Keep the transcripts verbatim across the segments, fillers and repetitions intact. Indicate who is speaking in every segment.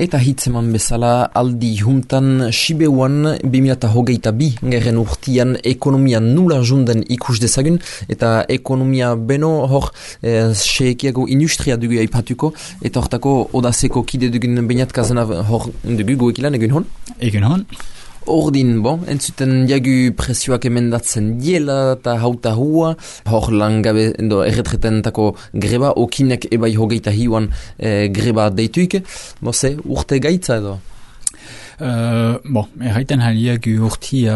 Speaker 1: Eta hitzeman bezala aldi juntan Sibeuan bi mila hogeita bi gerren urtian ekonomia nula junden ikus dezagun eta ekonomia beno hor eh, seekiago industria dugu aipatuko eta hortako odazeko kide dugun bainat kazena hor dugu goekilan egun hon?
Speaker 2: Egun hon.
Speaker 1: Ordin, bon, entzuten jagu presioak emendatzen diela eta hauta hua, hor langabe endo erretretentako greba, okinek ebai hogeita hiuan eh, greba deituik, boze, urte gaitza edo?
Speaker 2: Uh, bon, erraiten haliak urtia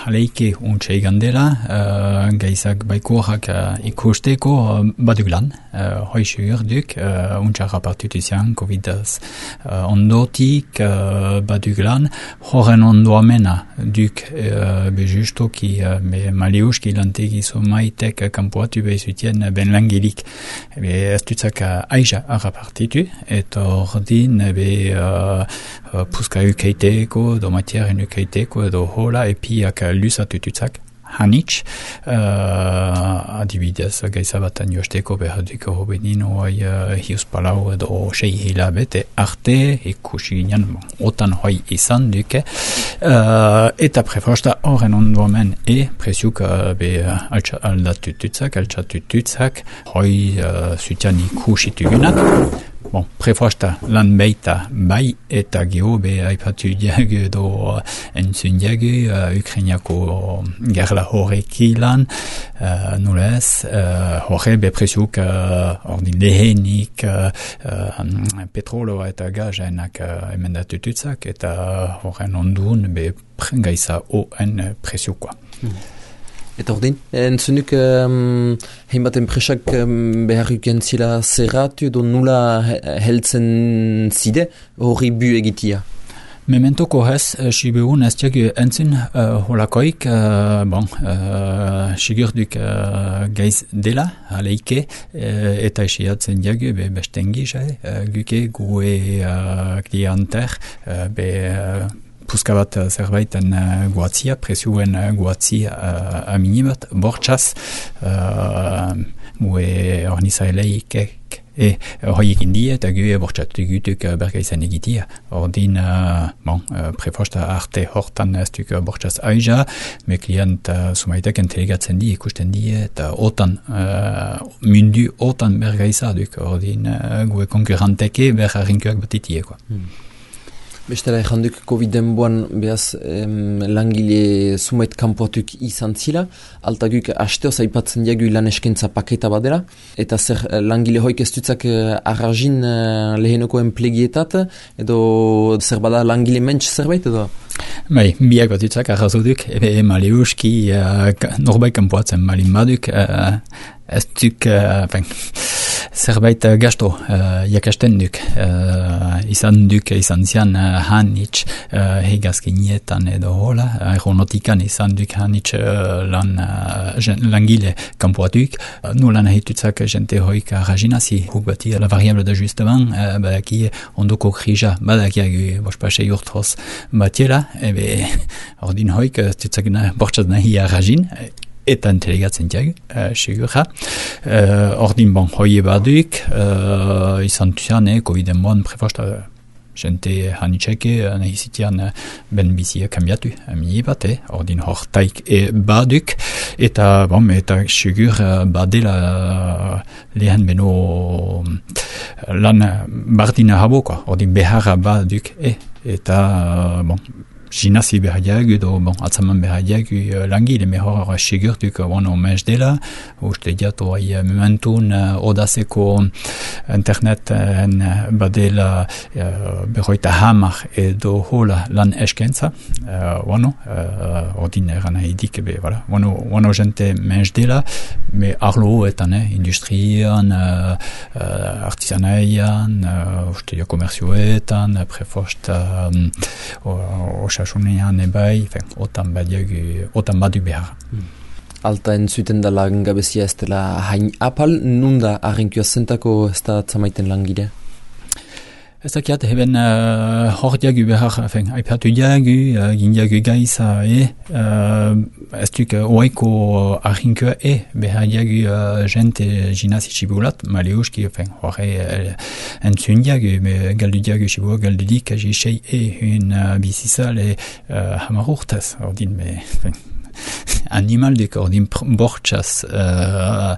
Speaker 2: haleike untxe igandela, uh, gaizak baikorak uh, ikusteko uh, baduk lan, uh, hoizu urduk, uh, untxa rapartutizian, covidaz uh, ondotik uh, baduk lan, horren ondoamena duk uh, bejustoki uh, be maliuski lantegi somaitek uh, kampuatu behizutien uh, ben langilik, be ez dutzak uh, aija rapartitu, eta ordin be uh, uh, puska ukeite Eko, do matiaren ukeiteko edo hola epiak lusatututzak hanitz, uh, adibidez gaizabatan josteko behaduko hobenin oai uh, hius palau edo sei hilabete arte ikusi ginen otan hoi izan duke uh, eta prefosta horren ondoamen e presiuk uh, be uh, aldatututzak, altxatututzak hoi uh, zutian ikusitugunak. Bon, prefosta lan beita bai eta geho be aipatu diagu edo entzun diagu uh, Ukrainiako gerla horreki lan uh, nolez uh, horre be presiuk uh, ordin lehenik uh, uh, petroloa eta gazenak uh, emendatututzak eta horren ondun be gaiza oen presiukoa. Hmm.
Speaker 1: Eta ordin, entzunuk um, hainbat enpresak um, beharruken zila zerratu edo nula heltzen zide hori bu egitia?
Speaker 2: Mementoko hez, Sibeun ez diagu entzun uh, holakoik, uh, bon, uh, sigurduk uh, gaiz dela, aleike, uh, eta esiatzen diagu be bestengi, uh, guke gue uh, klienter, uh, be uh, puska bat zerbaiten uh, guatzia, presioen uh, guatzia uh, aminibat, bortxaz, uh, gue ornizaeleikek, e hoiek indie, eta gue bortxatu gutuk uh, berga izan egitia. Ordin, uh, bon, uh, prefosta arte hortan ez duk bortxaz aija, me klient uh, sumaitek entelegatzen di, ikusten die, eta otan, uh, mundu otan berga izaduk. Ordin, uh, gue konkurranteke berga rinkuak batitie, quoi. Hmm.
Speaker 1: Bestela erranduk Covid-en boan behaz em, langile sumait kanpoatuk izan zila, altaguk hasteoz aipatzen diagu lan eskentza paketa badela, eta zer langile hoik ez dutzak arrazin uh, lehenoko enplegietat, edo zer bada langile mentx zerbait edo?
Speaker 2: Bai, biak bat dutzak arrazuduk, ebe maliuski uh, norbait kanpoatzen malin baduk, uh, ez duk, uh, fen, zerbait uh, gasto uh, jakasten duk, uh, izan duk, izan zian uh, hanitz uh, hegazkinietan edo hola, aeronautikan izan duk hanitz uh, lan, uh, langile kanpoatuk, uh, nu lan ahitutzak jente hoik arrazinazi, huk bati la variable d'ajustement, uh, badaki ondoko krija, badakiagu bospasei urtroz batiela, ebe ordin hoik, tutzak na, bortxaz nahi arrazin, eta entelegatzen diag, uh, sigurra. Uh, ordin bon, hoi baduk, uh, izan tuzian, eh, Covid-en bon, prefosta, jente hanitxeke, nahizitian ben bizia kambiatu, amini bat, eh, ordin hortaik e baduk, eta, bon, eta sigur badela lehen beno lan bardina haboko, ordin beharra baduk, eh, eta, bon, Ginasi behadiag edo bon, atzaman behadiag uh, langile mehor sigurtuk ono mez dela, uste diat oai mementun uh, odazeko internet uh, badela uh, berroita hamar edo hola lan eskentza, uh, ono, uh, ordin eran haidik, be, voilà, ono, ono gente mez dela, me arlo etan, eh, industrian, uh, uh, artisanaian, uh, uste dia komerzioetan, prefost, um, osasunean ebai, otan badiagu, otan badu behar.
Speaker 1: Hmm. Alta entzuten da langabezia ez dela hain apal, nunda arrenkioa zentako ez da tzamaiten langile?
Speaker 2: Ez dakiat, heben uh, hor diagu behar, enfin, aipatu diagu, uh, gin diagu gaiza, e, uh, ez duk uh, oaiko arrinkua, e, behar diagu uh, jente ginazi txibulat, maleuski, enfin, horre uh, entzun diagu, me galdu diagu txibua, galdu dik, aji sei, e, un uh, bizizal, e, uh, hamar urtaz, ordin, me, enfin, animalduk, ordin bortxaz uh,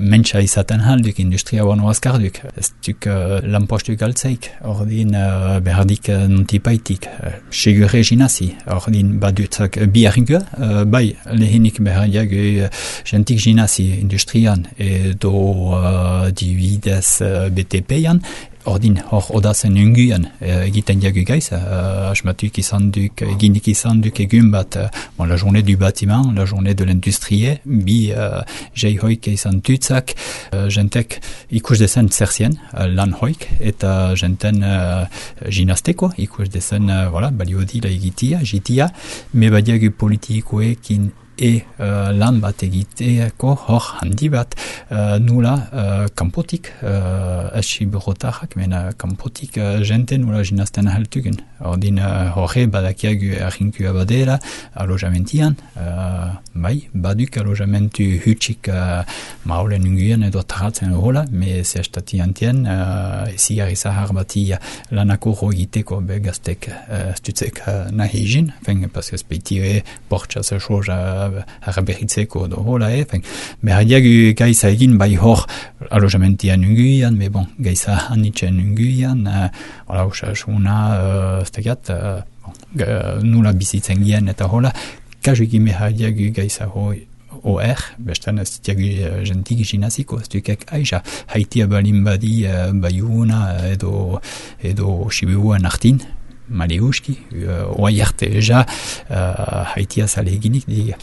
Speaker 2: mentsa izaten halduk, industria bano azkarduk. Ez duk uh, lanpostuk altzaik, ordin uh, behardik uh, nontipaitik, uh, segure ginazi, ordin badutzak uh, bi arrinkua, uh, bai lehenik behardiak uh, jentik ginazi industrian edo uh, dibidez uh, B T P-an, ordin hor odazen unguan uh, egiten diagu gaiz, uh, asmatuk izan duk, eginik izan duk egun bat, uh, bon, la journée du bâtiment, la journée de l'industrie, bi uh, jei hoik izan tutzak, uh, jentek ikus dezen zerzien, uh, lan hoik, eta jenten uh, ginasteko, ikus dezen, uh, voilà, baliodila egitia, jitia, me badiagu politikoekin e uh, lan bat egiteako hor handi bat uh, nula uh, kanpotik uh, esi berotarrak, mena kanpotik uh, jente nula ginazten ahaltugen. Ordin uh, horre badakiagu arrinkua badera alojamentian, uh, bai, baduk alojamentu hutsik uh, maulen unguien edo taratzen hola, me zestati antien uh, ezigarri zahar bati lanako egiteko begaztek uh, stutzek uh, nahi izin, fen, paske speitire bortxaz esoja haraberitzeko do hola, e, fen, behar diagu gaiza egin bai hor alojamentian unguian, me bon, gaiza hanitzen unguian, uh, hola, usasuna, uh, stegat, uh, bon, uh, nula bizitzen gien eta hola, kajuki behar diagu gaiza hoi O R, bestan ez diagu uh, jentik ginaziko, ez dukek aiza, haitia balin badi uh, baiuna edo, edo Sibiuan artin, maleuski, uh, oai arte eja, uh, haitia zale eginik diga.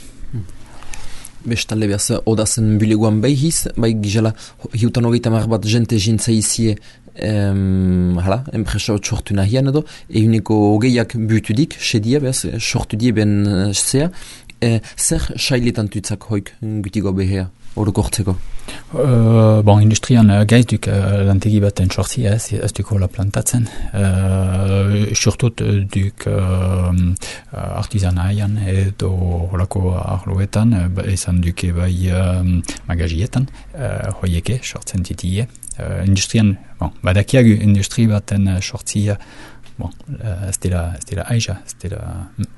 Speaker 1: Bestalde behaz, odazen bileguan behiz, bai gizela, hiutan hogeita mar bat jente jintzaizie, Um, hala, enpresa hot sortu nahian edo, eguneko hogeiak butudik, sedia behaz, sortu die ben zea, e, zer sailetan tutzak hoik gutiko behea, orokortzeko?
Speaker 2: Uh, bon, industrian uh, gaizduk uh, lantegi baten sortzi ez, ez duk hola plantatzen. Uh, Surtut uh, duk uh, artizanaian edo holako arloetan, uh, ezan duke bai um, magazietan, uh, hoieke sortzen titie. Uh, industrian, bon, badakiagu industri baten uh, sortzia, bon, uh, ez dela, ez dela aiza, ez dela... Mm.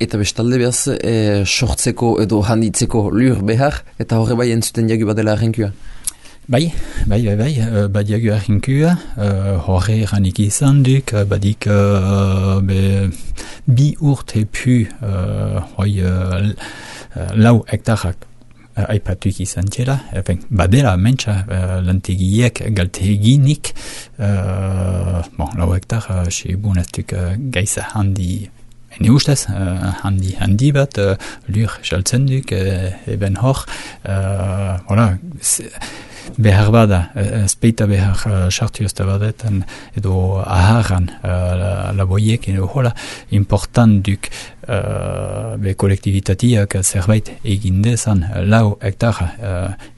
Speaker 1: Eta bestalde behaz, e, sortzeko edo handitzeko lur behar, eta horre bai entzuten diagu badela arrinkua?
Speaker 2: Bai, bai, bai, bai, uh, badiagu arrinkua, uh, horre eranik izan duk, uh, badik uh, be, bi urte pu, uh, hoi, uh, lau hektarrak uh, aipatuk izan txera, enfin, badela mentsa uh, lantegiek galteginik, uh, bon, lau hektar, uh, sebun ez duk uh, gaiza handi, ene ustez, uh, handi, handi bat, uh, lur saltzen duk, uh, eben hor, uh, voilà, behar bada, uh, speita behar uh, sartu ez da badetan, edo aharan uh, laboiek, edo hola, important duk uh, be kolektibitatiak zerbait egindezan lau hektara, uh,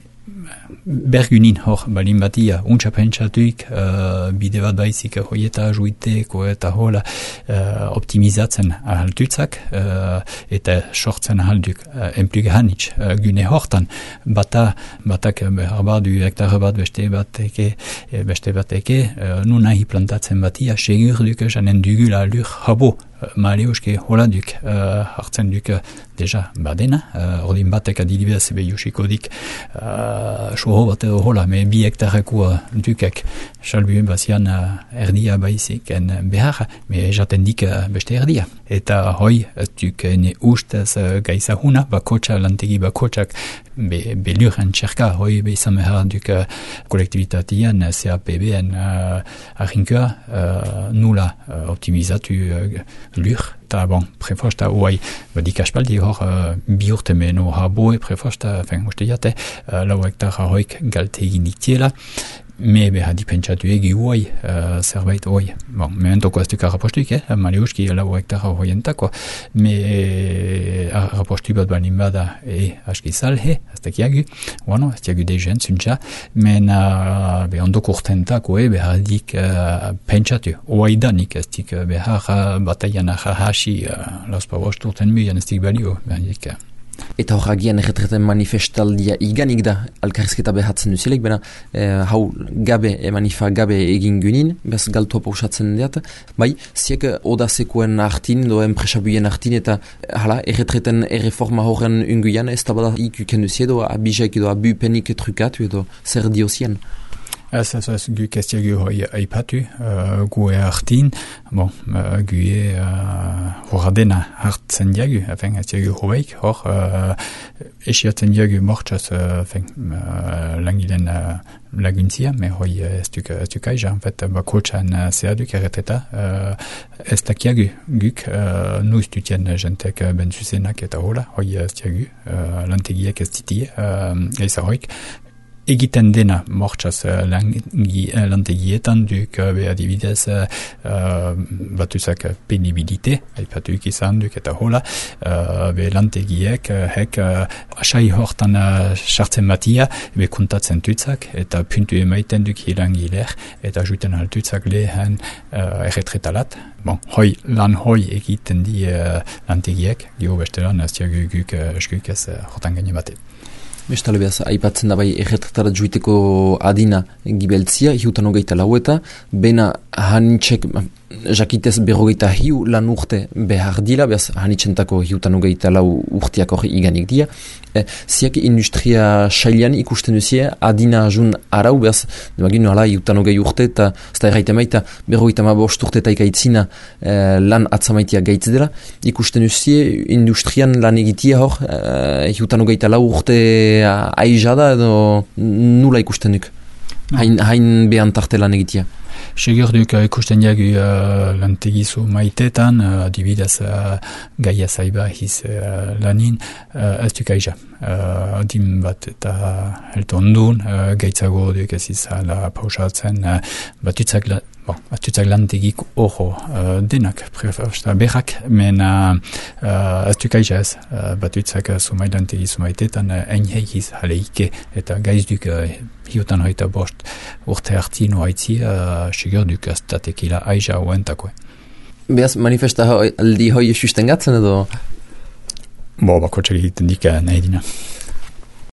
Speaker 2: bergunin hor balin batia untsa pentsatuik uh, bide bat baizik hoieta juiteko eta hola uh, optimizatzen ahaltutzak uh, eta sortzen ahalduk uh, enplug hanitz uh, gune hortan bata batak behar badu hektare bat beste bateke beste bateke uh, nu nahi plantatzen batia segur duk janen dugula lur habo maleuske hola duk uh, hartzen duk uh, deja badena, uh, ordin batek adilibez ebe jusiko dik uh, soho bat edo hola, me bi hektareko uh, dukek salbuen bazian uh, erdia baizik en behar, me jaten dik uh, beste erdia. Eta hoi, duk ene ustez uh, gaizahuna, bakotxa, lantegi bakotxak be, beluren txerka, hoi behizan behar duk uh, kolektibitatian, C A P B-en uh, arrinkua uh, nula uh, optimizatu uh, lur, eta bon, prefosta oai, badik aspaldi hor uh, bi urte meno haboe prefosta, fen, uste jate, uh, lau hektara hoik galte egin diktiela, me beha dipentsatu egi huai, uh, zerbait hoi. Bon, mementoko ez duk arrapostuik, eh? Mariuski lau hektara hoientako, me arrapostu bat balin bada e aski salhe, ez dakiagu, bueno, ez dakiagu dejen zuntza, men uh, be ondoko urtentako e behar dik uh, pentsatu, hoi danik ez dik uh, behar uh, bataian ahasi uh, lauspa bost urten muian ez dik balio, behar dik uh,
Speaker 1: Eta hor agian erretreten manifestaldia iganik da alkarrizketa behatzen duzilek, bena eh, hau gabe, e manifa gabe egin gynin, bez galtua pausatzen diat, bai, ziek odazekoen hartin, do enpresabuien hartin, eta hala, erretreten erreforma horren unguian, ez da bada ikuken duzie, edo abizaik edo abupenik trukatu, edo zer diozien.
Speaker 2: Ez, ez, ez, gu kestiagu hoi aipatu, uh, gu e hartin, bon, uh, gu e uh, horra dena hartzen diagu, efen, ez diagu hobeik, hor, uh, esiatzen diagu mortxaz, uh, uh, langilen uh, laguntzia, me hoi ez duk, ez duk aiza, en fait, bakotxan uh, zehaduk erreteta, uh, ez dakiagu guk, uh, nuz dutien jentek uh, benzuzenak eta hola, hoi ez diagu, uh, lantegiek ez ditie, uh, eiza hoik, egiten dena mortxaz uh, langi, uh, lantegietan duk uh, be adibidez uh, uh, batuzak penibilite aipatuik izan duk eta hola uh, be lantegiek uh, hek uh, asai hortan sartzen uh, batia be kontatzen tutzak eta puntu emaiten duk hilangiler eta juten altutzak lehen uh, erretretalat. Bon, hoi, lan hoi egiten di uh, lantegiek, gio bestelan ez diagu guk uh, eskuk ez uh, hortan gaine bate.
Speaker 1: Bestale behaz, aipatzen da bai erretratara juiteko adina gibeltzia, hiutan hogeita lau eta, bena hanitxek, jakitez berrogeita hiu lan urte behar dila, behaz hanitxentako hiutan hogeita lau urteak hori iganik dia. E, ziak industria sailean ikusten duzie, adina jun arau, behaz, demaginu ala hiutan hogei urte, eta zta erraite maita berrogeita ma bost urte eta ikaitzina e, lan atzamaitia gaitz dela, ikusten duzie industrian lan egitia hor, e, hiutan hogeita lau urte aizada edo nula ikusten duk, hain, hain behan tarte lan egitia.
Speaker 2: Segur duk uh, ikusten diagu uh, lantegizu maitetan, uh, adibidez uh, gaia zaiba hiz uh, lanin, uh, ez duk aiza. Uh, adim bat eta helto ondun, uh, gaitzago duk ez izala pausatzen, uh, batutzak, la, bon, batutzak lantegik oho uh, denak, prefersta berrak, men uh, uh, ez duk aiza ez, uh, batutzak uh, sumai lantegizu maitetan, uh, enheikiz haleike, eta gaiz duk uh, hiotan hoita bost urte harti noaitzi, uh, sigur duk ez datekila aiza oentakue.
Speaker 1: Beaz, manifesta aldi hoi sustengatzen edo?
Speaker 2: Bo, bako txak egiten dik nahi dina.